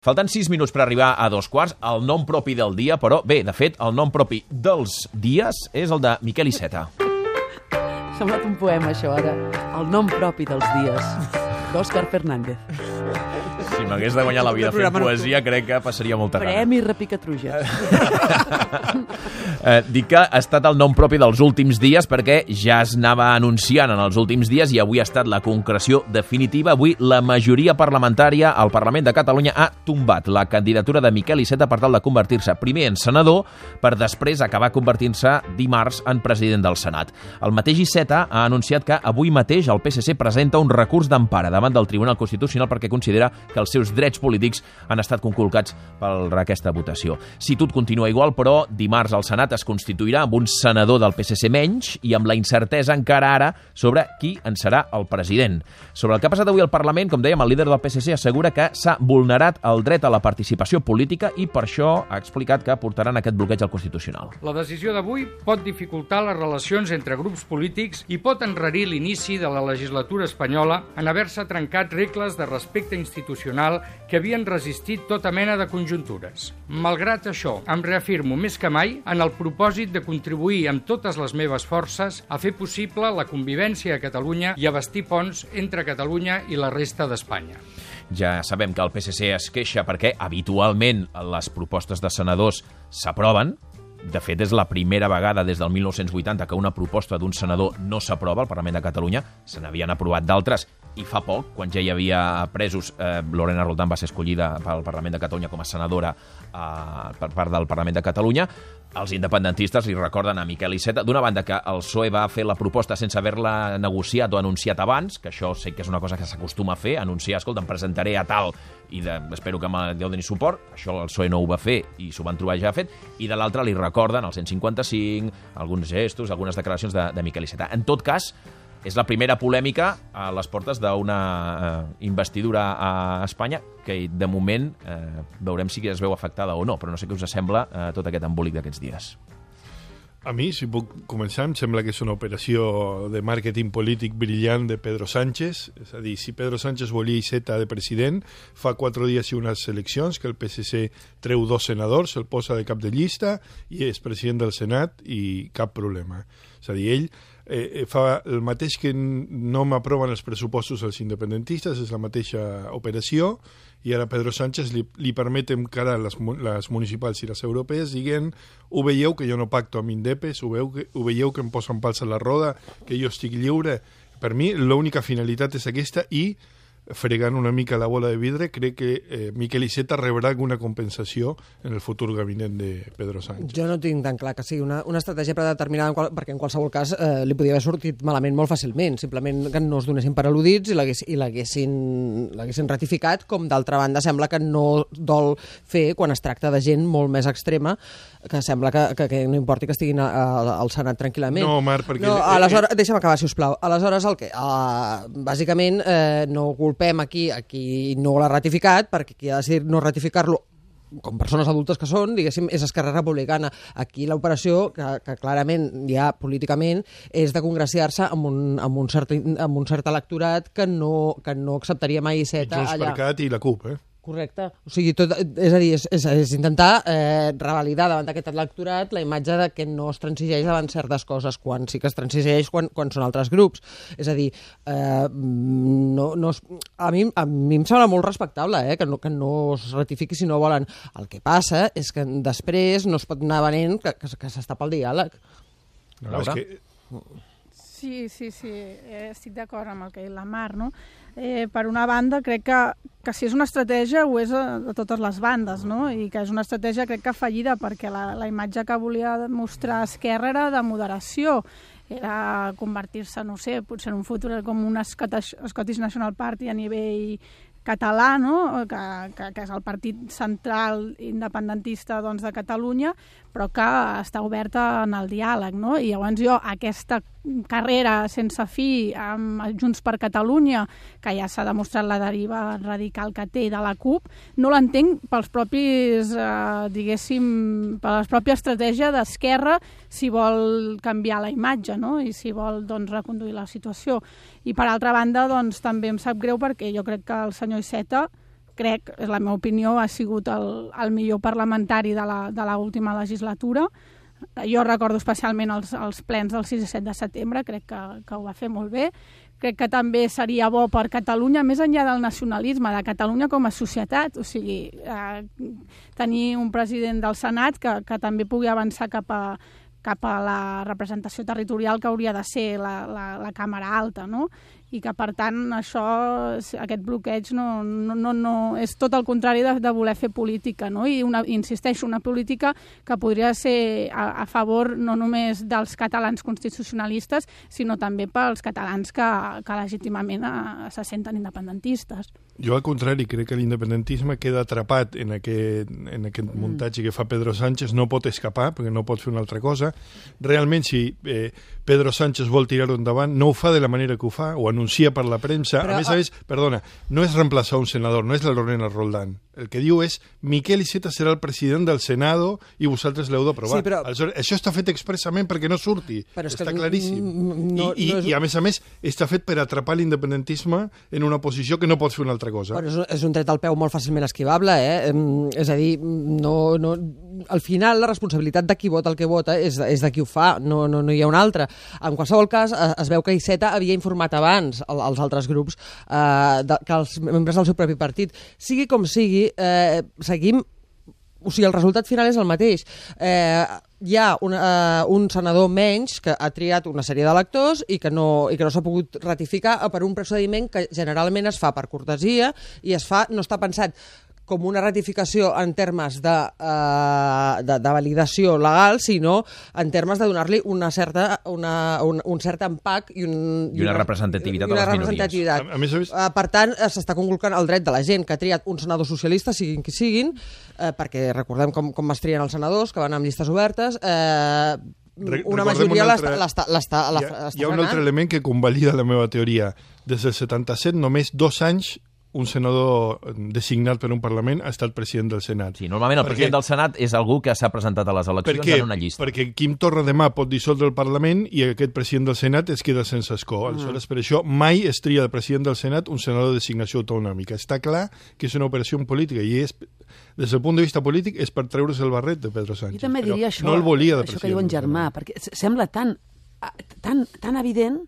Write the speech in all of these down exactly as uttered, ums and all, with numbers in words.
Falten sis minuts per arribar a dos quarts, el nom propi del dia, però bé, de fet, el nom propi dels dies és el de Miquel Iceta. Ha semblat un poema, això, ara. El nom propi dels dies, d'Òscar Fernández. Si m'hagués de guanyar la vida fent poesia, crec que passaria molta gana. Premi Repicatruja. eh, dic que ha estat el nom propi dels últims dies perquè ja es anava anunciant en els últims dies i avui ha estat la concreció definitiva. Avui la majoria parlamentària al Parlament de Catalunya ha tombat la candidatura de Miquel Iceta per tal de convertir-se primer en senador per després acabar convertint-se dimarts en president del Senat. El mateix Iceta ha anunciat que avui mateix el P S C presenta un recurs d'empara davant del Tribunal Constitucional perquè considera que els seus drets polítics han estat conculcats per aquesta votació. Si tot continua igual, però, dimarts el Senat es constituirà amb un senador del P S C menys i amb la incertesa encara ara sobre qui en serà el president. Sobre el que ha passat avui al Parlament, com dèiem, el líder del P S C assegura que s'ha vulnerat el dret a la participació política i per això ha explicat que portaran aquest bloqueig al Constitucional. La decisió d'avui pot dificultar les relacions entre grups polítics i pot enrarir l'inici de la legislatura espanyola en haver-se trencat regles de respecte institucional que havien resistit tota mena de conjuntures. Malgrat això, em reafirmo més que mai en el propòsit de contribuir amb totes les meves forces a fer possible la convivència a Catalunya i a bastir ponts entre Catalunya i la resta d'Espanya. Ja sabem que el P S C es queixa perquè habitualment les propostes de senadors s'aproven. De fet, és la primera vegada des del mil nou-cents vuitanta que una proposta d'un senador no s'aprova al Parlament de Catalunya. Se n'havien aprovat d'altres i fa poc, quan ja hi havia presos, eh, Lorena Roldán va ser escollida pel Parlament de Catalunya com a senadora eh, per part del Parlament de Catalunya. Els independentistes li recorden a Miquel Iceta, d'una banda, que el P S O E va fer la proposta sense haver-la negociat o anunciat abans, que això sé que és una cosa que s'acostuma a fer, anunciar, escolta, em presentaré a tal i de, espero que me doni suport. Això el P S O E no ho va fer i s'ho van trobar ja fet. I de l'altra li recorden el cent cinquanta-cinc, alguns gestos, algunes declaracions de, de Miquel Iceta. En tot cas, és la primera polèmica a les portes d'una eh, investidura a Espanya que, de moment, eh, veurem si es veu afectada o no, però no sé què us sembla eh, tot aquest embolic d'aquests dies. A mi, si puc començar, em sembla que és una operació de màrqueting polític brillant de Pedro Sánchez. És a dir, si Pedro Sánchez volia Iceta de president, fa quatre dies i unes eleccions que el P S C treu dos senadors, el posa de cap de llista i és president del Senat i cap problema. És a dir, ell eh, fa el mateix que no m'aproven els pressupostos als independentistes, és la mateixa operació, i ara Pedro Sánchez li, li permet encarar les, les municipals i les europees dient, ho veieu que jo no pacto amb Indepes, ho, veu que, ho veieu que em posen pals a la roda, que jo estic lliure. Per mi l'única finalitat és aquesta i fregant una mica la bola de vidre, crec que eh, Miquel Iceta rebrà alguna compensació en el futur gabinet de Pedro Sánchez. Jo no tinc tan clar que sigui una, una estratègia predeterminada, en qual, perquè en qualsevol cas eh, li podia haver sortit malament molt fàcilment, simplement que no es donessin per al·ludits i l'haguessin ratificat, com d'altra banda sembla que no dol fer quan es tracta de gent molt més extrema, que sembla que, que, que no importi que estiguin a, a, al Senat tranquil·lament. No, Marc, perquè... No, aleshores, deixa'm acabar, si us plau. Aleshores, el que? Uh, bàsicament, eh, no culpem aquí a qui no l'ha ratificat, perquè qui ha decidit no ratificar-lo, com persones adultes que són, diguéssim, és Esquerra Republicana. Aquí l'operació, que, que clarament ja políticament, és de congraciar-se amb, un, amb, un cert, amb un cert electorat que no, que no acceptaria mai Iceta allà. Junts per Cat i la CUP, eh? Correcte. O sigui, tot, és a dir, és, és, és intentar eh, revalidar davant d'aquest electorat la imatge de que no es transigeix davant certes coses, quan sí que es transigeix quan, quan són altres grups. És a dir, eh, no, no es, a, mi, a mi em sembla molt respectable eh, que, no, que no es ratifiqui si no volen. El que passa és que després no es pot anar venent que, que, que s'està pel diàleg. No, és que... Sí, sí, sí, eh, estic d'acord amb el que ha dit la Mar, no? Eh, per una banda, crec que, que si és una estratègia ho és a, a totes les bandes, no? I que és una estratègia crec que fallida, perquè la, la imatge que volia mostrar Esquerra era de moderació, era convertir-se, no sé, potser en un futur com un Scottish, Scottish National Party a nivell català, no? que, que, que és el partit central independentista doncs, de Catalunya, però que està oberta en el diàleg. No? I llavors jo aquesta carrera sense fi amb Junts per Catalunya, que ja s'ha demostrat la deriva radical que té de la CUP, no l'entenc pels propis, eh, diguéssim, per la pròpia estratègia d'Esquerra si vol canviar la imatge, no? I si vol doncs, reconduir la situació. I per altra banda, doncs, també em sap greu perquè jo crec que el senyor Iceta crec, és la meva opinió, ha sigut el, el millor parlamentari de la, de l'última legislatura. Jo recordo especialment els, els plens del sis i set de setembre, crec que, que ho va fer molt bé. Crec que també seria bo per Catalunya, més enllà del nacionalisme, de Catalunya com a societat, o sigui, eh, tenir un president del Senat que, que també pugui avançar cap a, cap a la representació territorial que hauria de ser la, la, la Càmera Alta, no? I que, per tant, això, aquest bloqueig no, no, no, no, és tot el contrari de, de voler fer política, no? I una, insisteixo, una política que podria ser a, a favor no només dels catalans constitucionalistes, sinó també pels catalans que, que legítimament a, se senten independentistes. Jo, al contrari, crec que l'independentisme queda atrapat en aquest, en aquest muntatge que fa Pedro Sánchez, no pot escapar, perquè no pot fer una altra cosa. Realment, si eh, Pedro Sánchez vol tirar-ho endavant, no ho fa de la manera que ho fa, o anuncia per la premsa. Però, a més a més, perdona, no és reemplaçar un senador, no és la Lorena Roldán. El que diu és Miquel Iceta serà el president del Senado i vosaltres l'heu d'aprovar. Sí, però... Això està fet expressament perquè no surti. Està que... claríssim. No, I, no és... I, a més a més, està fet per atrapar l'independentisme en una posició que no pot fer una altra cosa. Però és, és un tret al peu molt fàcilment esquivable, eh? És a dir, no, no... al final la responsabilitat de qui vota el que vota és, és de qui ho fa, no, no, no hi ha un altre. En qualsevol cas, es veu que Iceta havia informat abans als altres grups eh, de, que els membres del seu propi partit. Sigui com sigui, eh, seguim... O sigui, el resultat final és el mateix. Eh, hi ha un, eh, un senador menys que ha triat una sèrie d'electors i que no, i que no s'ha pogut ratificar per un procediment que generalment es fa per cortesia i es fa, no està pensat com una ratificació en termes de, uh, de, de validació legal, sinó en termes de donar-li una certa, una, un, un cert empac i, un, I una representativitat i una a les representativitat. minories. A, a més a més... Uh, per tant, s'està conculcant el dret de la gent que ha triat un senador socialista, siguin qui siguin, uh, perquè recordem com, com es trien els senadors, que van amb llistes obertes, eh... Uh, una majoria un altre... l'està l'està Hi ha, hi ha un altre element que convalida la meva teoria. Des del setanta-set, només dos anys un senador designat per un Parlament ha estat president del Senat. Sí, normalment el perquè, president del Senat és algú que s'ha presentat a les eleccions perquè, en una llista. Perquè Quim Torra demà pot dissoldre el Parlament i aquest president del Senat es queda sense escó. Mm. Aleshores, per això mai es tria el president del Senat un senador de designació autonòmica. Està clar que és una operació política i és, des del punt de vista polític, és per treure's el barret de Pedro Sánchez. Jo també diria això, no el volia de això que diu en Germà, perquè sembla tan, tan, tan evident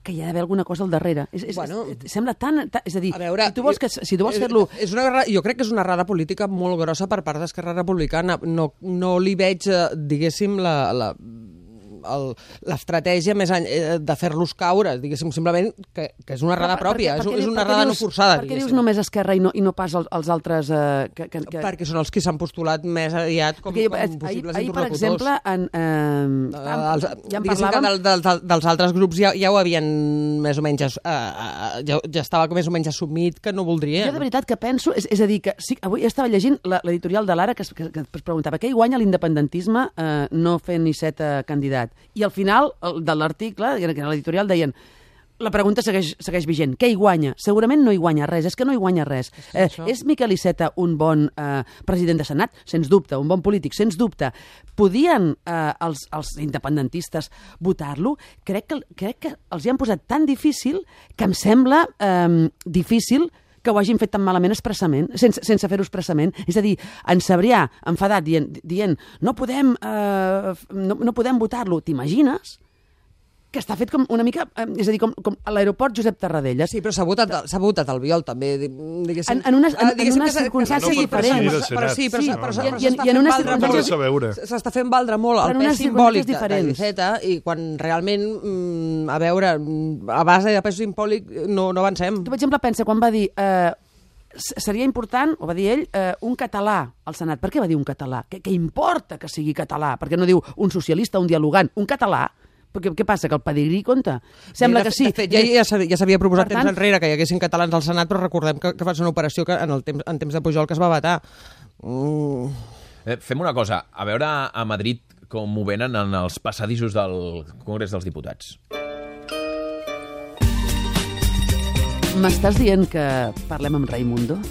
que hi ha d'haver alguna cosa al darrere. És, és, bueno, és, sembla tan, tan... És a dir, a veure, si tu vols, que, si tu vols fer-lo... És una, jo crec que és una errada política molt grossa per part d'Esquerra Republicana. No, no li veig, diguéssim, la... la l'estratègia més any, de fer-los caure, diguéssim, simplement que, que és una errada pròpia, per, per, és, és una errada no forçada. Per què dius només Esquerra i no, i no pas els, els altres... Eh, que, que, que... Perquè són els que s'han postulat més aviat com, com possibles ahir, interlocutors. Ahir, per exemple, en, eh, els, ja en parlàvem... Que del, del, dels altres grups ja, ja ho havien més o menys... Eh, ja, ja estava més o menys assumit que no voldrien. Jo de veritat que penso... És, és a dir, que sí, avui estava llegint l'editorial de l'Ara que, que, que es preguntava què hi guanya l'independentisme eh, no fent Iceta candidat. I al final el, de l'article, que era l'editorial, deien la pregunta segueix, segueix vigent. Què hi guanya? Segurament no hi guanya res. És que no hi guanya res. Eh, és Miquel Iceta un bon eh, president de Senat? Sens dubte. Un bon polític? Sens dubte. Podien eh, els, els independentistes votar-lo? Crec que, crec que els hi han posat tan difícil que em sembla eh, difícil que ho hagin fet tan malament expressament, sense, sense fer-ho expressament. És a dir, en Sabrià, enfadat, dient, dient no podem, eh, no, no podem votar-lo. T'imagines? Que està fet com una mica... Eh, és a dir, com, com a l'aeroport Josep Tarradellas. Sí, però s'ha votat, s'ha votat el Biol, també, diguéssim. En, en unes, en, en unes circumstàncies no diferents. Però sí, però, sí, però, no, no. però, però, però, però circumstàncies... s'està fent valdre molt el pes simbòlic de l'Iceta i quan realment, mm, a veure, a base de pes simbòlic no, no avancem. Tu, per exemple, pensa quan va dir... Eh, seria important, ho va dir ell, eh, un català al Senat. Per què va dir un català? Què, què importa que sigui català? Per què no diu un socialista, un dialogant? Un català? Perquè què passa, que el pedigrí compta? Sembla de, que sí. De fet, ja, ja s'havia proposat per temps tant, enrere que hi haguessin catalans al Senat, però recordem que, que va ser una operació que en, el temps, en temps de Pujol que es va vetar. Mm. Eh, fem una cosa, a veure a Madrid com ho venen en els passadissos del Congrés dels Diputats. M'estàs dient que parlem amb Raimundo?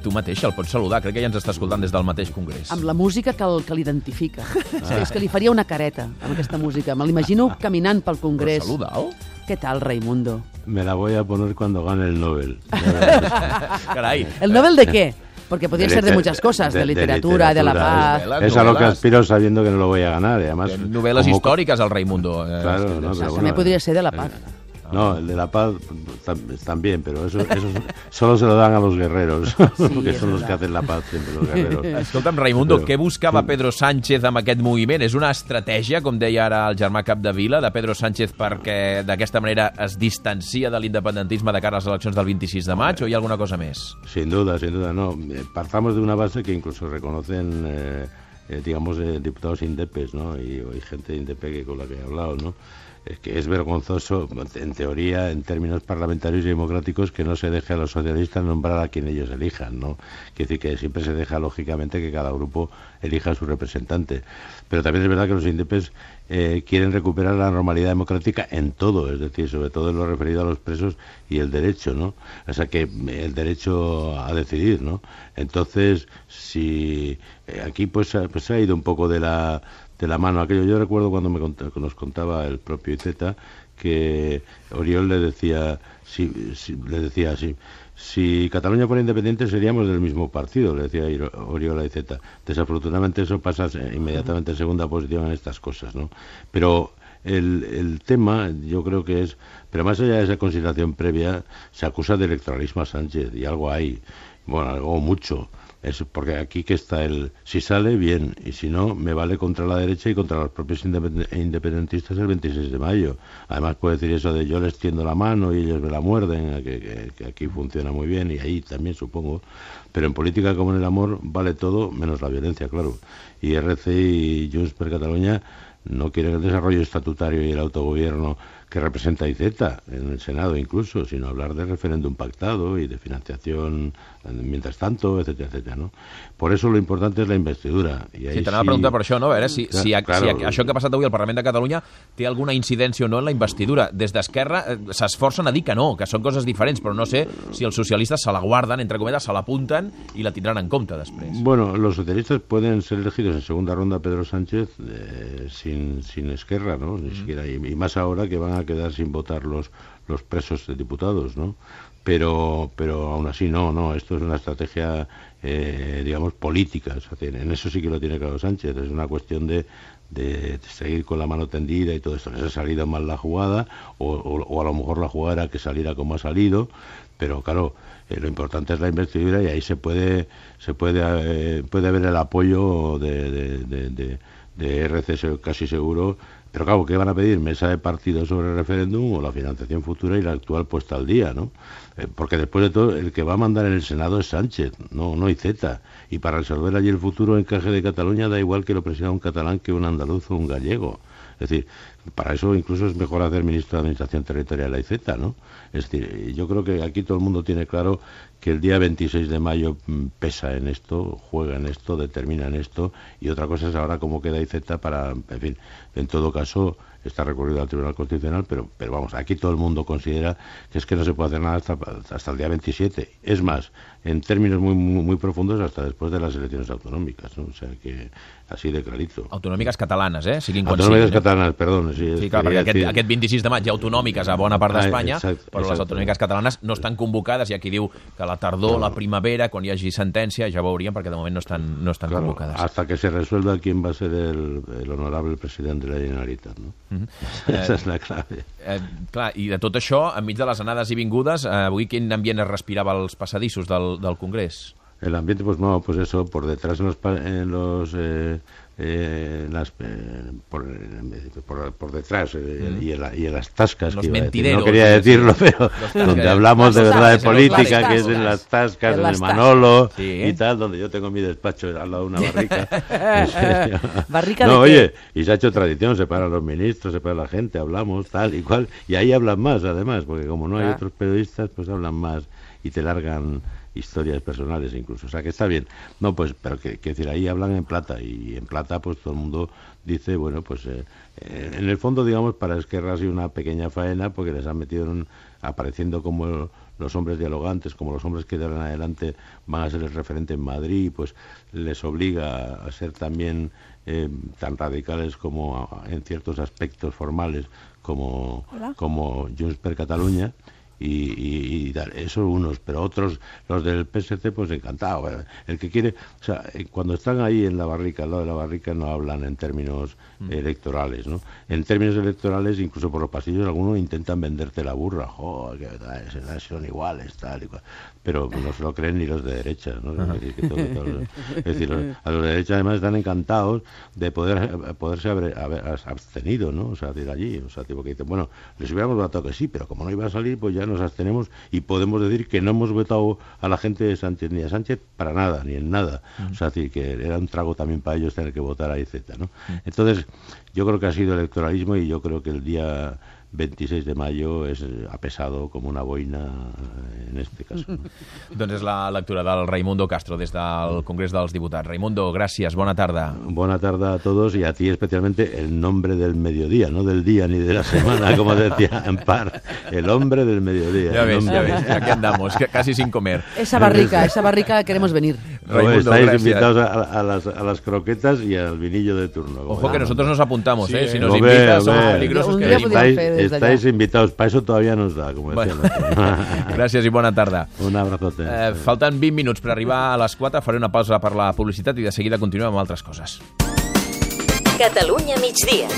Tu mateix el pots saludar, crec que ja ens està escoltant des del mateix Congrés. Amb la música que, el, que l'identifica. Ah. És que li faria una careta amb aquesta música. Me l'imagino caminant pel Congrés. Però saluda'l. ¿Qué tal, Raimundo? Me la voy a poner cuando gane el Nobel. Caray. ¿El Nobel de qué? Porque podría De ser de liter- muchas cosas, de, de- de literatura, de la paz. Novelas, Es a lo que novelas. aspiro sabiendo que no lo voy a ganar. Y además, Novel·les como- històriques, el Raimundo. Eh, Claro, és que- no, pero També bueno, podria ser de la paz. No, el de la paz tam- también, pero eso, eso solo se lo dan a los guerreros, porque es son los verdad. que hacen la paz siempre, los guerreros. Escolta'm, Raimundo, Però- què buscava Pedro Sánchez amb aquest moviment? És una estratègia, com deia ara el germà Capdevila, de Pedro Sánchez perquè d'aquesta manera es distancia de l'independentisme de cara a les eleccions del vint-i-sis de maig, o hi ha alguna cosa més? Sin duda, sin duda, no. Eh, Partamos de una base que incluso reconocen, eh, eh, digamos, eh, diputados indepes, ¿no? Y, y gente indepe que con la que he hablado, ¿no? Es que es vergonzoso, en teoría, en términos parlamentarios y democráticos, que no se deje a los socialistas nombrar a quien ellos elijan, ¿no? Quiere decir que siempre se deja, lógicamente, que cada grupo elija a su representante. Pero también es verdad que los indepes eh, quieren recuperar la normalidad democrática en todo, es decir, sobre todo en lo referido a los presos y el derecho, ¿no? O sea, que el derecho a decidir, ¿no? Entonces, si eh, aquí pues, ha- pues se ha ido un poco de la de la mano aquello. Yo recuerdo cuando me cont- nos contaba el propio Iceta que Oriol le decía, si, si- le decía así, si Cataluña fuera independiente seríamos del mismo partido, le decía Iro- Oriol a Iceta. Desafortunadamente eso pasa eh, inmediatamente en segunda posición en estas cosas, ¿no? Pero el, el tema yo creo que es, pero más allá de esa consideración previa, se acusa de electoralismo a Sánchez, y algo hay, bueno, algo mucho. Es porque aquí que está el, si sale bien, y si no, me vale contra la derecha y contra los propios independ- independentistas el veintiséis de mayo. Además puede decir eso de yo les tiendo la mano y ellos me la muerden, que, que, que aquí funciona muy bien, y ahí también supongo. Pero en política como en el amor vale todo menos la violencia, claro. Y R C y Junts per Catalunya no quieren el desarrollo estatutario y el autogobierno que representa Iceta en el Senado incluso, sino hablar de referéndum pactado y de financiación eh, mientras tanto, etcétera, etcétera, ¿no? Por eso lo importante es la investidura. I Sí, t'anava a preguntar per això, no? A veure si, si, Clar, si, claro. si això que ha passat avui al Parlament de Catalunya té alguna incidència o no en la investidura. Des d'Esquerra eh, s'esforcen a dir que no, que són coses diferents, però no sé si els socialistes se la guarden, entre cometes, se l'apunten i la tindran en compte després. Bueno, los socialistas pueden ser elegidos en segunda ronda Pedro Sánchez eh, sin, sin Esquerra, ¿no? Ni siquiera, y, y más ahora que van a quedar sin votar los, los presos de diputados, ¿no? Pero, pero aún así no, no, esto es una estrategia, eh, digamos, política, o sea, en eso sí que lo tiene claro Sánchez, es una cuestión de, de seguir con la mano tendida y todo esto. Les ha salido mal la jugada, o, o, o a lo mejor la jugada era que saliera como ha salido, pero claro, eh, lo importante es la investidura, y ahí se puede se puede eh, puede haber el apoyo de, de, de, de, de R C casi seguro. Pero claro, ¿qué van a pedir? ¿Mesa de partidos sobre el referéndum o la financiación futura y la actual puesta al día, ¿no? Eh, porque después de todo, el que va a mandar en el Senado es Sánchez, no, no Iceta. Y para resolver allí el futuro encaje de Cataluña da igual que lo presida un catalán que un andaluz o un gallego. Es decir, para eso incluso es mejor hacer ministro de Administración Territorial a Iceta, ¿no? Es decir, yo creo que aquí todo el mundo tiene claro que el día veintiséis de mayo mm, pesa en esto, juega en esto, determina en esto, y otra cosa es ahora cómo queda Iceta para, en fin, en todo caso está recurrido al Tribunal Constitucional, pero, pero vamos, aquí todo el mundo considera que es que no se puede hacer nada hasta, hasta el día veintisiete. Es más, en términos muy, muy, muy profundos, hasta después de las elecciones autonómicas, ¿no? O sea que así de clarito. Autonòmiques catalanes, eh? Siguin quan Autonòmiques siguin. catalanes, perdón. Sí, Sí, clar, perquè aquest, decir... aquest vint-i-sis de maig hi ha autonòmiques a bona part d'Espanya, Ah, exacte, però les exacte. autonòmiques catalanes no estan convocades. Hi ha qui diu que a la tardor, la primavera, quan hi hagi sentència, ja veuríem, perquè de moment no estan, no estan Claro, convocades. hasta que se resuelva quién va a ser el, el honorable presidente de la Generalitat, ¿no? Mhm. Esa es la clave. Eh, clar, i de tot això, enmig de les anades i vingudes, eh, avui quin ambient es respirava als passadissos del, del Congrés? El ambiente, pues no, pues eso, por detrás en los, pa- en los eh, eh, las, eh, por, eh, por, por detrás eh, Mm. y, en la- y en las tascas, Los que iba a decir. mentideros, no quería es decirlo, decir, pero los tascas. donde hablamos de Las verdad de tascas, en los política, bares, que es en tascas. las tascas, En en, las el tascas. Manolo Sí. y tal, donde yo tengo mi despacho al lado de una barrica. En serio. ¿Barrica no, de qué? oye, y se ha hecho tradición, se paran los ministros, se para la gente, hablamos, tal y cual, y ahí hablan más además, porque como no hay Ah. otros periodistas, pues hablan más y te largan historias personales incluso, o sea que está bien. No, pues, pero que, que decir, ahí hablan en plata, y en plata pues todo el mundo dice, bueno, pues eh, eh, en el fondo, digamos, para Esquerra ha sido una pequeña faena, porque les han metido en un- apareciendo como los hombres dialogantes como los hombres que de ahora en adelante van a ser el referente en Madrid, pues les obliga a ser también eh, tan radicales como a, en ciertos aspectos formales como, como Junts per Catalunya. Y, y, y eso unos, pero otros, los del P S C, pues encantado. El que quiere, o sea, cuando están ahí en la barrica, al lado de la barrica, no hablan en términos mm. electorales, ¿no? En términos electorales, incluso por los pasillos, algunos intentan venderte la burra, joder, que tal, son iguales, tal y cual. Pero no se lo creen ni los de derecha, ¿no? Es decir, que todo, todo, es decir, los, a los de derecha además están encantados de poder poderse haber, haber abstenido, ¿no? O sea, de ir allí, o sea, tipo que dicen, bueno, les hubiéramos votado que sí, pero como no iba a salir, pues ya nos abstenemos y podemos decir que no hemos votado a la gente de Sánchez ni a Sánchez para nada, ni en nada. Uh-huh. O sea, decir, que era un trago también para ellos tener que votar a I Z, ¿no? Uh-huh. Entonces, yo creo que ha sido electoralismo y yo creo que el día veintiséis de mayo és, ha pesado com una boina en este caso. No? Doncs és la lectura del Raimundo Castro des del Congrés dels Diputats. Raimundo, gràcies, bona tarda. Buena tarde a todos y a ti especialmente el nombre del mediodía, no del día ni de la semana, como decía Ampar, el hombre del mediodía. Ya ves, ya ves, aquí andamos, casi sin comer. Esa barrica, esa barrica queremos venir. Raimundo, estáis gracias. invitados a, a, las, a las croquetas y al vinillo de turno. Ojo que nosotros nos apuntamos, sí, ¿eh? Si nos lo invitas, veo, somos veo. peligrosos Un que día venimos. podíem Estáis, fer des d'allà. estáis invitados, para eso todavía nos da, como decía. Bueno. Gràcies i bona tarda. Un abrazote. Eh, falten vint minuts per arribar a les quatre, faré una pausa per la publicitat i de seguida continuem amb altres coses. Catalunya migdia.